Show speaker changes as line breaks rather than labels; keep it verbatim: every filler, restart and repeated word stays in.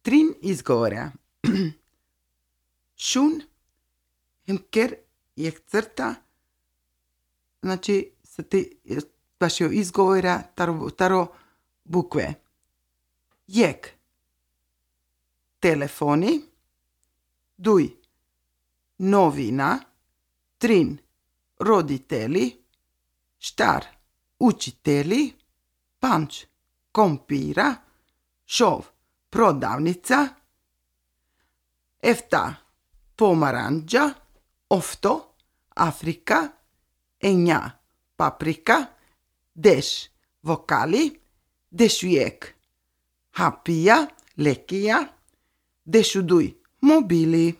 Трин изговора. Шун, хемкер, ехцърта. Значи, са ти вашио изговора таро, таро букве. Jek. Telefoni. Duj. Novina. Trin. Roditelji. Štar. Učitelji. Panč. Kompira. Šov. Prodavnica. Efta. Pomaranđa. Ofto. Afrika. Enja. Paprika. Deš. Vokali. Dešujek. Hapija, lekija, dešuduj, mobili.